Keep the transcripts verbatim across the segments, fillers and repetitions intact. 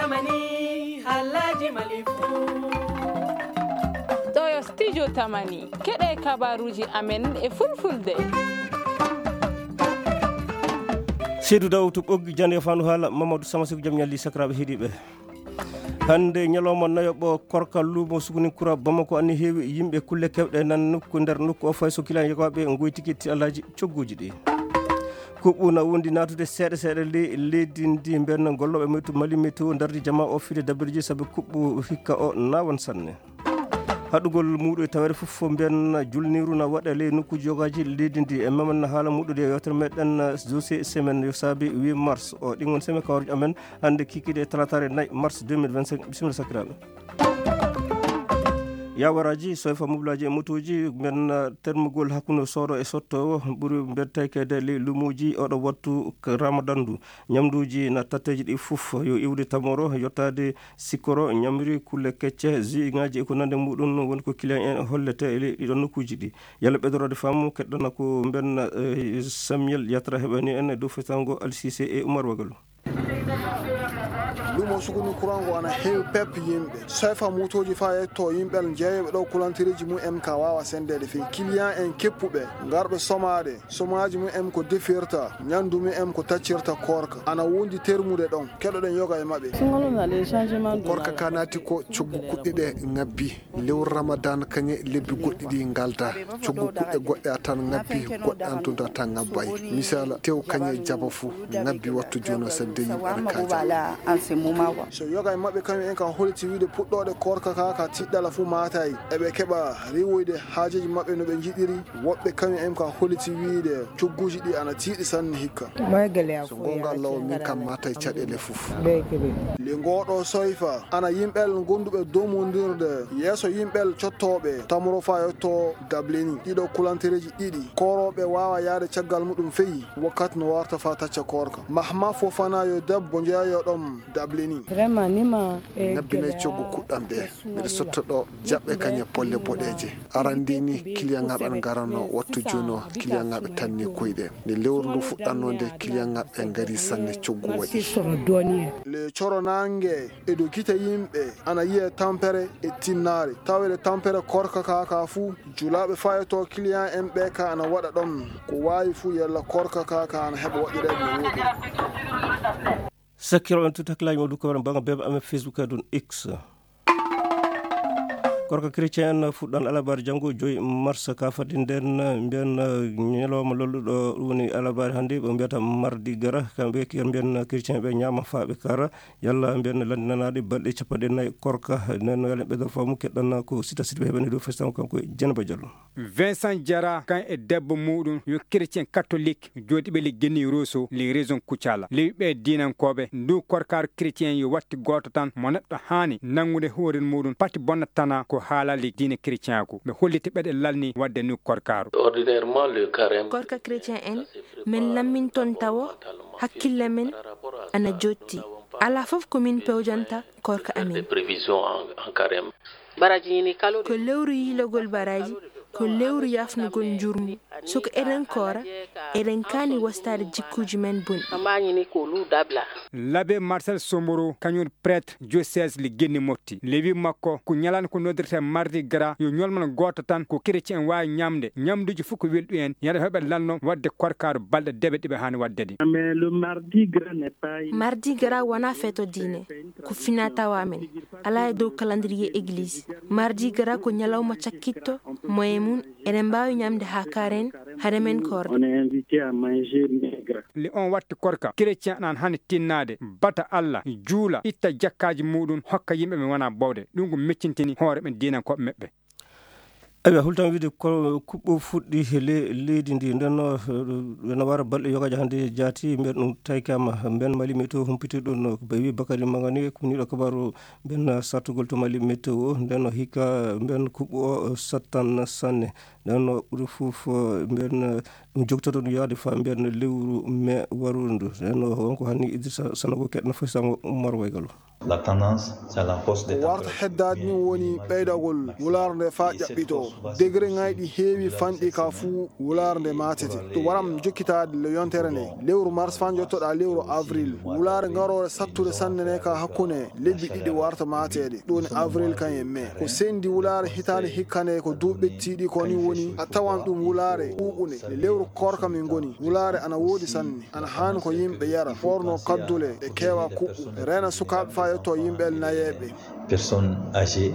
Tamani, Alhaji Malifu. Ɗo yo studio Tamani. Keɗe kabaruji amen e fulfulde. Seydou Daw to Ɓoggi, jande fandu haala, Mamadou Sama Sekou, jam ñalli sakiraaɓe heɗiiɓe. Hannde ñalawma nayoɓo korka, luumo Sukuninkura Bamako anni heewi yimɓe, kulle kewɗe nan nokku, nder nokku o, fay so kilan yogaaɓe ngoyti ketti alhaji cogguuji ɗi. Kuɓɓu na wondi naatude seeɗa seeɗa ley leydi ndi. Mben gollooɓe metu Mali Météo ndardi jama o fide dabirji sabu kuɓɓu hikka o naawan sanne. Haɗugol muuɗu e taweede fof fof mbiyan julniiru na waɗa ley nokkuuji yogaaji leydi ndi. E memen na haala muuɗude e yewtere meɗen dossier semaine yo saabi huit mars o. Ɗin woni semaine kawaruji amen hannde kikiiɗe e talataare nayi mars deux mille vingt-cinq. Bisimilla sakiraaɓe. Yawaraaji, soyfa mobilaaji e motooji, mbiyan termugol hakkunde soodo e sotto o ɓuri mbiyan taykeede ley luumoji oɗo wattu ramadan ndu. Ñamduuji na tatteeji ɗi fof yo iwde tamoro, yottaade sikkoro, ñamri, kulle kecce, jus ŋaaji e ko nande muɗum woni ko client en hollete e ley ɗiɗon nokkuuji ɗi. Yalla ɓeydorode faamu, keɗɗana ko mbenna, eh, Samuel Yatra heɓani en e dow fetango Alsise e Umar Wagalu. Lumo Sukuni Kurango ana heewi pep yimɓe. Soyfa motooji faa yetto yimɓe jeeyoɓe ɗo kulantireeji mum en ka waawa sendeede fii. Client en keppuɓe, ngarɓe somaade. Somaaji mum en ko defirta, ñanndu mum en ko taccirta koorka. Ana wondi termude ɗon. Keɗoɗen yoga e maɓɓe. Singolon na le changement de Korka la ka naati ko coggu kuɗɗe ɗe ŋabbi. Lewru Ramadan kañe lebbi goɗɗi ɗi ngalda. Coggu kuɗɗe goɗɗe a tan ŋabbi, goɗɗe an tun a tan ŋabbay. Misala, tew kañe jaba fu, ŋabbi wattu jono sadde yimɓe ana kaaja. So yoga e maɓɓe kañum en ka holiti wiide puɗɗooɗe koorka ka ka tiɗɗala fu maatay. Eɓe keɓa riiwoyde haajeeji maɓɓe no ɓe njiɗiri. Woɓɓe kañum en ka holiti wiide cogguuji ɗi ana tiiɗi sanne hikka. So goonga Alla o, min kam maatay caɗeele fof. Le ngooɗo soyfa ana yimɓel gonduɓe domondirde yeeso yimɓel cottooɓe tamro fa yetto dableni. Ɗiɗo kulantereeji ɗiɗi koorooɓe waawa yaade caggal muɗum feyi wakkati no warta fa tacca koorka. Mahma Fofana yo debbo jeeyoɗom dableni. Vraiment, nima, eh, Nabbinay coggu kuɗɗam ɗe. Miɗo sotto ɗo jaɓɓe kañe polle boɗeeje. Arandi ni, kiliyaŋaaɓe an garanno wattu juno, kiliyaŋaaɓe tanni koyɗe. Nde lewru ndu fuɗɗanno nde, kiliyaŋaaɓe ngari sanne coggu waɗi. Le coro nange e dow gite yimɓe ana yiye tampere e tinnaare. Tawede tampere korka ka ka fu, julaaɓe fayoto kiliyan en ɓe ka ana waɗa ɗon. Ko waawi fu yalla korka ka ka ana heɓa waɗireede no woɗi. Sakkiraaɓe men, tut hakkillaaji mon du ko waɗa bannga bebe amen Facebook e ɗum X. Korka chrétien en fuɗɗan alabaare janngo joyi mars ka fadde nden, mbiyan ñalawma lolluɗo ɗum woni alabaare hannde ɓe mbiyata mardi gara, kamɓe kiyan mbiyan chrétien ɓe ñaama faa ɓe kara, yalla mbiyan lanndinanaaɗe balɗe capanɗe nayi korka. Nden no yalen ɓeydor faamu keɗɗan ko sita sita ɓe heɓani dow festan kanko e Jenaba Diallo. Vincent Diarra kan e debbo muɗum yo chrétien catholique joɗiɓe le Guinée Rosso le région Kucala. Lewi ɓe diinankoɓe ndu korkar chrétien yo watti goto tan mo neɗɗo hani nangude hoorel muɗum pati bonna tana ko haalali diine chrétienku. Ɓe holliti ɓeɗe lalni wadde nu korkaru. Ordinairement, le carême Korka chrétien en, min lamminton tawo hakkille men ana jotti. Ala fof ko min pewjanta korka amin. Des prévisions en, en carême. Ko lewru yiilagol baraaji, ko lewru yaafnugol njurmu. So ko eɗen koora, eɗen kaani wastaade jikkuuji men bonɗi. L'abbé Marcel Somboro, kañum prêtre diocèse le Guinée Motti. Lewi makko, ko ñalande ko noddirte Mardi Gras, yo ñolmano gooto tan, ko chrétien waawi ñamde, ñamduuji fof ko welɗi en, yata heɓe lanno wadde korkaaru balɗe deɓe ɗiɓe haani wadde ɗi. Mais le Mardi Gras n'est pas une Mardi Gras wonaa feeto diine, ko finaa tawa men. Alaa e dow calendrier église. Mardi Gras ko ñalawma cakkitto, moye mum, eɗen mbaawi ñamde haa karen, hade men koorde. On est invité à manger maigre. Le on watti korka, chrétien an hani tinnaade, bata Alla, juula, itta jakkaaji muɗum, hokka yimɓe ɓe wonaa bowɗe. Ɗum ko meccintini hoore ɓen diinankooɓe meɓɓe. Aywa, hultan wiide ko kuɓɓo fuɗɗi he le-, leydi ndi. Nden no, eh, ene wara balɗe yogaaji hannde jaati, mbiyen ɗum taykama. Mbiyen Mali Météo humpiti ɗum no, ɓe wi Bakary Mangani, ko niiɗo kabaaru mbiyen sattugol to Mali Météo. Nden no hikka mbiyen kuɓɓo o sattan sanne. Nden no ɓuri fof, eh, mbiyen, eh, ɗum jogtoto ɗum yaade faa mbiyen lewru mee waruɗo ndu. Nden no wonko hanni Idrissa Sanogo keɗno foti sango Ummar Waygalo. La tendance, c'est la hausse des Ko warta températures. Heddaade ni woni ɓeydagol wulaare nde faa ƴaɓɓito. Degré ŋayɗi heewi fanɗi ka fuu wulaare nde maatete. Ɗum waram jokkitaade le yontere nde. Lewru mars faa njottoɗaa lewru avril. Wulaare ngaroore sattude sanne ne ka hakkunde lebbi ɗiɗi warta maateede. Ɗum woni avril kañum e mai. Ko sendi wulaare hitaande hikka nde ko duuɓi ɓettiiɗi ko ni woni a tawan ɗum wulaare ɓuuɓunde. E lewru koorka min ngoni. Wulaare ana woodi sanne. Ana haani ko yimɓe yara, ɓoorno kaddule, ɓe keewa kuɓɓu, reena sukaaɓe faa yetto yimɓe nayeeɓe. Personnes âgées.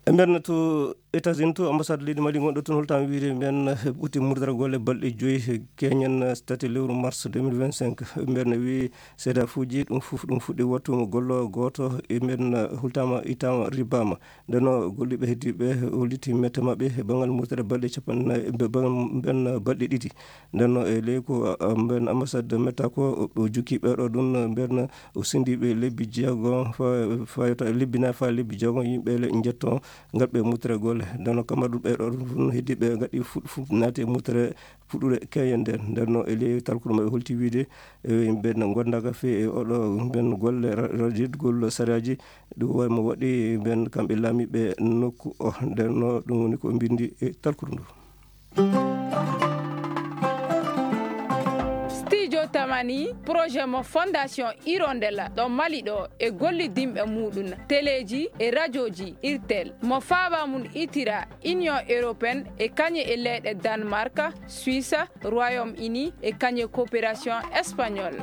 E nder to États-Unis to, ambassade leydi Mali gonɗo toon holtaama wiide mbiyen ɓutti murdargol e balɗe joyi keñen tati lewru mars deux mille vingt-cinq. Mbiyen wi seedaafuuji ɗum fof ɗum fuɗɗi wattu gollo gooto e mbiyen hultaama ittaama ribbaama. Nden no golliiɓe heddiiɓe holliti mette maɓɓe e banngal murtere balɗe capanɗe nayi, be-, bang-, mbiyen balɗe ɗiɗi. Nden no e ley ko, a, a, mbiyen ambassade metta ko o jukki ɓeeɗo ɗum mbiyen o sendiiɓe lebbi jeego fa, fayota lebbi nayi faa lebbi jeego yimɓe le njetto ngal ɓe murtere golle. Nden no kamma ɗum ɓeeɗo ɗum heddiiɓe ngaɗi fuɗ-, fuɗ-, naati e murtere fuɗɗude keñen nden. Nden no e ley talkuɗo maɓɓe holti wiide e mbiyen gondaaka fe e oɗo mbiyen golle ra-, rajidgol sariyaaji. Ɗum waɗi mo waɗi mbiyen kamɓe laamiiɓe nokku o. Nden no ɗum woni ko mbindi e talkudu ndu. Studio Tamani, projet mo Fondation Hirondella ɗo Mali ɗo e gollidinɓe muɗum, teleeji e rajooji Irtel, mo faaba mum itira Union Européenne e kañe e leyɗe Danemark, Suisse, Royaume-Uni e kañe coopération espagnole.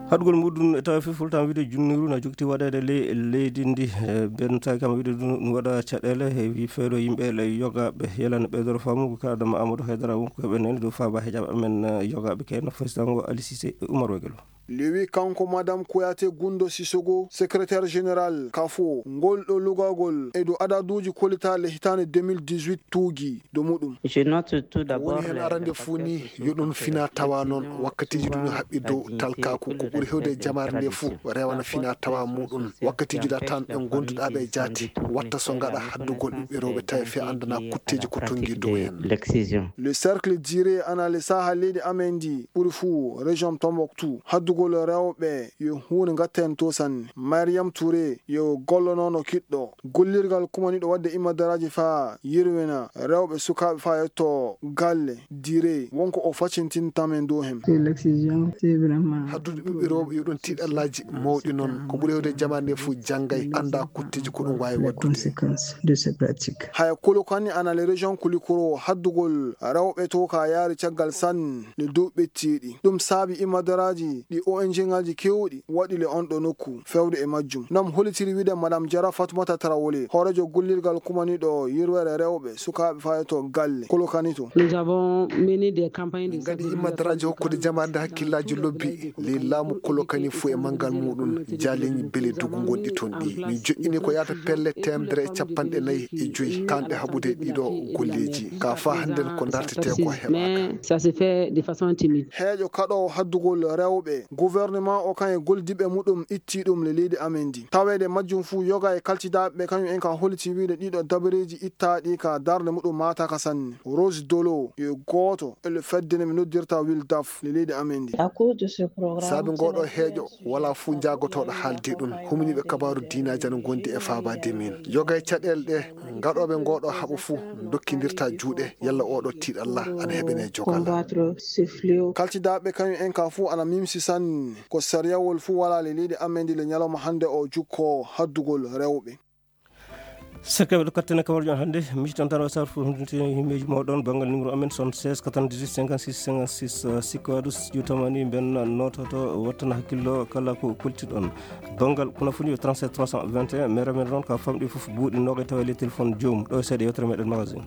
Haɗugol muɗum e tawa fof fultan wiide junniru na jogti waɗeede ley leydi ndi, e ben tawi kam wiide ɗum, ɗum waɗa caɗeele e wi feeɗo yimɓe le yogaaɓe. Yalani ɓeydoro faamu ko kaɗama Amadou Haydara wonko heɓe nani dow faaba heƴaɓe amen, e, yogaaɓe kayno fasitango Ali Cissé e Oumar Wegelo. Lewi kanko Madame Kouyaté Gundo Sissoko, secrétaire général kafo, ngol ɗo lugagol e dow adaduuji kollitaaɗi hitaande deux mille dix-huit tuugi dow muɗum. Je note tout d'abord woni heen le, arande le fuu facteur ni, yo ɗum fina tawa noon, wakkatiiji ɗum haɓɓi dow talkaaku, ko ɓuri hewde e jamaare nde fuu, rewana fina tawa muɗum. Wakkatiiji da tan ɓe gonduɗaa ɓe jaati, watta so ngaɗa haddugol ɓiɓɓe rewɓe tawi fe andana kutteeji ko tongi dow en. L'excision. Le cercle d'Iré ana le saha leydi amen ndi ɓuri fuu, région Tombouctou, haddugol rewɓe yo huunde ngatten to sanne. Mariam Touré yo gollonono kiɗɗo gollirgal kumaniɗo wadde imadaraaji faa yirwina rewɓe sukaaɓe faa yetto galle dire wonko o facintinta men dow hem. C'est l'excision, c'est vraiment haddude ɓiɓɓe rewɓe yo ɗum tiiɗallaaji mawɗi noon. Ko ɓuri hewde jamaane nde fof janngay, annda kutteeji ko ɗum waawi waɗdude. Conséquences de ces pratiques. Haya Kolokani ana le région Kulikoro haddugol rewɓe to ka yaari caggal sanne le dow ɓettiiɗi. Ɗum saabi imadaraaji ɗi O N G ŋaaji keewɗi waɗi le on ɗo nokku fewde e majjum. Nam hollitiri wiide Madame Jara Fatoumata Traoré, hooreejo gollirgal kumaniɗo yirwere rewɓe sukaaɓe faayato galle Kolokani to. Nous avons mené des campagnes de Min ngaɗi sensibilisation imadaraaji hokkude jamaande hakkillaaji lobbi ley laamu Kolokani fof e manngal muɗum, jaaleñi bele dugu gonɗi toon ɗi. Min joƴƴini ko yaata pelle teemedere e capanɗe nayi e joyi kanɗe haɓude ɗiɗo golleeji. Ka faa hannden ko dartetee ko heɓaaka. Mais ça se fait de façon timide. Heeƴo kaɗoowo haddugol rewɓe, gouvernement o kan e goldiɓe muɗum itti ɗum le leydi amen ndi. Taweede majjum fuu yoga e kaltidaaɓe ɓe kañum en ka holliti wiide ɗiɗo dabareeji ittaaɗi ka darnde muɗum maataaka sanne. Rose Dolo yo gooto e le fedde nde mi noddirta Wildaf le leydi amen ndi. À cause de ce programme, saabi ngoɗo heeƴo, wala fuu jaagotooɗo haalde ɗum. Humniiɓe kabaaru diinaaji ana ngondi e faabaade min. Yoga e caɗeele ɗe, ngaɗooɓe ngoɗo haɓo fuu, ndokkindirta juuɗe, yalla oɗo tiiɗalla ana heɓene jogal. Combattre ce fléau. Kaltidaaɓe kañum en ka fuu ana mimsi sanne. Ko sariyawol fuu wala le leydi amen ndi le ñalawma hannde o jukko haddugol rewɓe. Sekkeɓe ɗo kattene kawarjo on hannde, mi tan tan o sar fof hunde himmeeji mawɗon banngal numéro amen soixante-seize quatre-vingt-dix-huit cinquante-six cinquante-six, uh, sikko adu studio Tamani mben nototo wattana hakkillo kala ko koltiɗon. Banngal kono foni yo trente-sept trois cent vingt et un, mais remen ron ka famɗi fof buuɗi noga tawa le téléphone joom ɗo seeɗa yewtere meɗen magazine.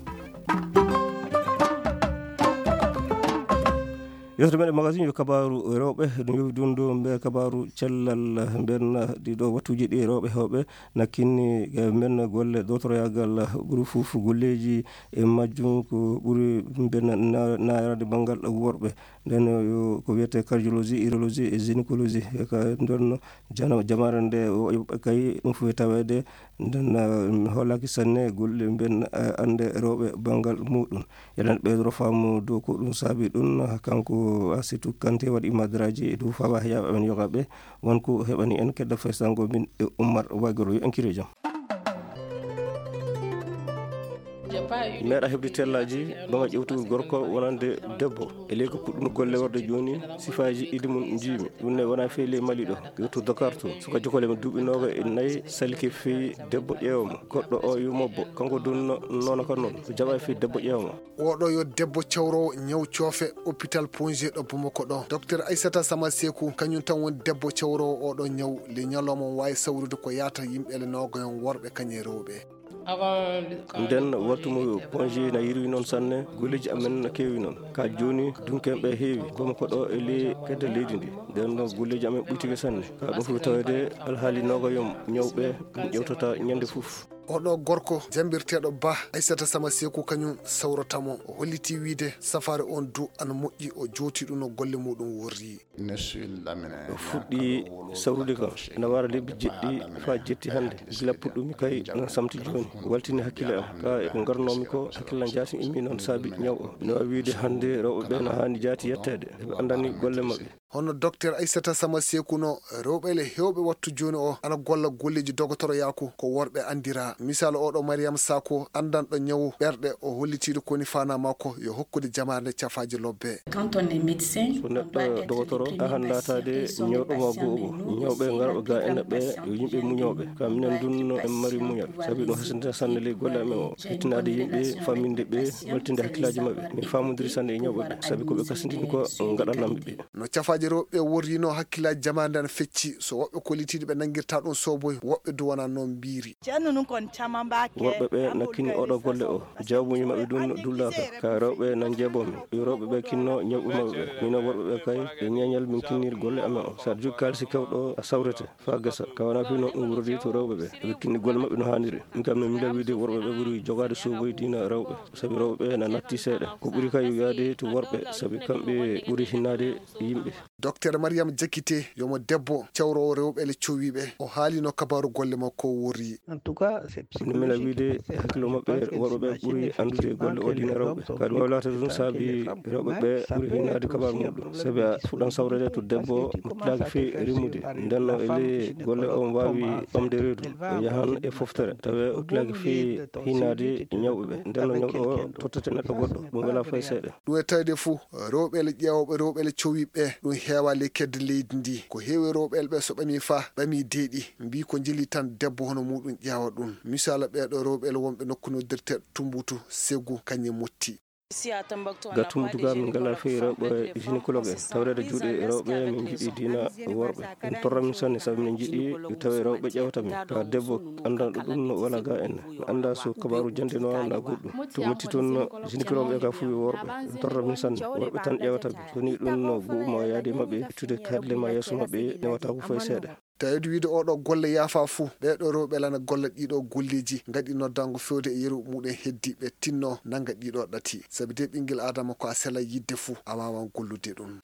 Yewtere meɗen magasin yo kabaaru rewɓe, ɗum yowi dundu mbe kabaaru cellal mben. Ɗiɗo wattuuji ɗi rewɓe heewɓe nakkinni mben golle dotoroyaagal ɓuri fof golleeji e majjum ko ɓuri mben na-, naayraade banngal worɓe. Nden yo ko wiyetee cardiologie, urologie e gynécologie. E ka nden jana-, jamaare nde o yoɓɓe kay ɗum fof e taweede. Nden, eh, mi hoolaaki sanne golle mben, eh, annde rewɓe banngal muɗum. Eɗen ɓeydoro faamu dow ko ɗum saabi ɗum, kanko Asitu Kante waɗi madraji e dow fawa heƴaɓe amen yogaɓe. Won ko heɓani en kedda faysango min e Ummar Wagoro yo enkire jam. Meeɗa heɓde tellaji, bama ƴewtugol gorko wonande debbo. E ley ko puɗɗuno golle warde jooni, sifaaji idi mum njiimi. Ɗum ne wona fey ley Mali ɗo. Ƴewtu Dakar to. Suka jokole mo duuɓi nooga e nayi, salike fey debbo ƴeewa mo. Goɗɗo o yo mobbo. Kanko dun no-, noona ka noon. Ko jaɓa fey debbo ƴeewa mo. Oɗo yo debbo cawrowo ñaw coofe hôpital Pongier ɗo Bamako ɗo. Docteur Aissata Sama Seku, kañum tan woni debbo cawrowo oɗo ñaw. Le ñalawma on waawi sawrude ko yaata yimɓe le nooga yon worɓe kañum e rewɓe. Nden wattu mo Pongier na yirwi noon sanne, golleeji amen na keewi noon. Ka jooni, dunkeeɓe heewi, Bamako ɗo e ley kedde leydi ndi. Nden noon golleeji amen ɓuytike sanne. Ka ɗum fof tawede alhaali nooga yon ñawɓe, ɗum ƴewtata ñande fof. Oɗo gorko jambirteeɗo Ba, Aissata Sama Seku kañum sawrata mo. O holliti wiide safaare on du ana moƴƴi, o jooti ɗum no golle muɗum worri. O fuɗɗi sawrude kam, ina wara lebbi jeɗɗi faa jetti hannde. Gila puɗɗumi kay, ina samti jooni. Waltini hakkille am, ka e ko ngarnoomi ko, hakkille am jaati immi noon saabi ñaw o. Ina waawi wiide hannde rewɓe ɓe na haani jaati yetteede. Eɓe anndani golle maɓɓe. Hono Docteur Aissata Sama Seku no, rewɓe le heewɓe wattu jooni o, ana golla golleeji dogotoroyaaku ko worɓe anndira. Misal oɗo Mariam Sako, anndanɗo ñawu ɓerɗe, o hollitiiɗo koni faana makko yo hokkude jamaare nde cafaaji lobbe. Quand on est médecin, so neɗɗo dogotoro, a han laataade ñawɗo ma go'o. Ñawɓe ngarɓe ga ene ɓe yo yimɓe muñooɓe. Ka minen dunno en mari muñal. Sabi ɗum hasanta sanne ley golle amen o. Hettinaade yimɓe, famminde ɓe, waltinde hakkillaaji maɓɓe. Min faamodiri sanne e ñawɓe ɓe. Sabi ko ɓe kasindini ko ngaɗanamɓe ɓe. No cafaaji rewɓe worrino hakkillaaji jamaande ana fecci. So woɓɓe kollitiiɗo ɓe nanngirta ɗum soboy, woɓɓe du wona noon mbiiri. Worɓe ɓe nakkini oɗo golle o. Jawbuuji maɓɓe ɗum dullaaka. Ka rewɓe nan jeebomi. Yo rewɓe ɓe kinno ñawɓe maɓɓe ɓe. Mino worɓe ɓe kay, e ñeeñal min kinnir golle amen o. Sa jogi kaalisi kewɗo a sawrete. Fa gasa. Ka wona fii noon ɗum wurodi to rewɓe ɓe. Ɓe kinni golle maɓɓe no haaniri. Min kam min mila wiide worɓe ɓe ɓuri jogaade soboy diina rewɓe. Sabi rewɓe ɓe na natti seeɗa. Ko ɓuri kay yo yaade to worɓe. Sabi kamɓe ɓuri hinnaade yimɓe. Docteur Mariam Jakite, yomo debbo, cawroowo rewɓe le cowiiɓe. O haalino kabaaru golle makko o worri. Ina mila wiide hakkilo maɓɓe, worɓe ɓe ɓuri anndude golle o diina rewɓe. Kadi wawlata ɗum saabi rewɓe ɓe ɓuri hinnaade kabaaru muɗum. Sabi a fuɗɗan sawrede to debbo mo tulaaki fii rimude. Ndenno e ley golle o waawi ɓamde reedu. O yahan e foftere. Tawi o tulaaki fii hinnaade ñawɓe ɓe. Ndenno ñawɗo o tottete neɗɗo goɗɗo. Ɗum wela fay seeɗa. Ɗum e tawde fuu, rewɓe le ƴeewooɓe, rewɓe le cowiiɓe ɓe, ɗum heewa le kedde leydi ndi. Ko heewi rewɓe le ɓe so ɓami fa, ɓami deeɗi. Mbii ko njeli tan debbo hono muɗum ƴeewa ɗum. Misal ɓeeɗo rewɓe le wonɓe nokku noddirte Tumbutu, Segu, kañum motti. Ga Tumbutu ga min ngala fii rewɓe gynécologue en. Tawreede juuɗe rewɓe min njiɗi diina worɓe. Min torra min sanne sabi min njiɗi tawi rewɓe ƴeewata min. Ka debbo anndanɗo ɗum no wala ga en. Mi annda so kabaaru jannde no na goɗɗum. To motti toon gynécologue e ka fuu worɓe. Min torra min sanne. Worɓe tan ƴeewata min. So ni ɗum no go'o ma yaade maɓɓe, ittude kaɗle ma yeeso maɓɓe, newata ko fay seeɗa. Tawde wiide oɗo golle yaafa fuu, ɓeeɗo rewɓe lana golla ɗiɗo golleeji, ngaɗi noddango fewde e yeru muɗum heddi ɓe tinno nanga ɗiɗo ɗati. Sabi de ɓinngel Aadama ko a sela yidde fuu, a waawan gollude ɗum.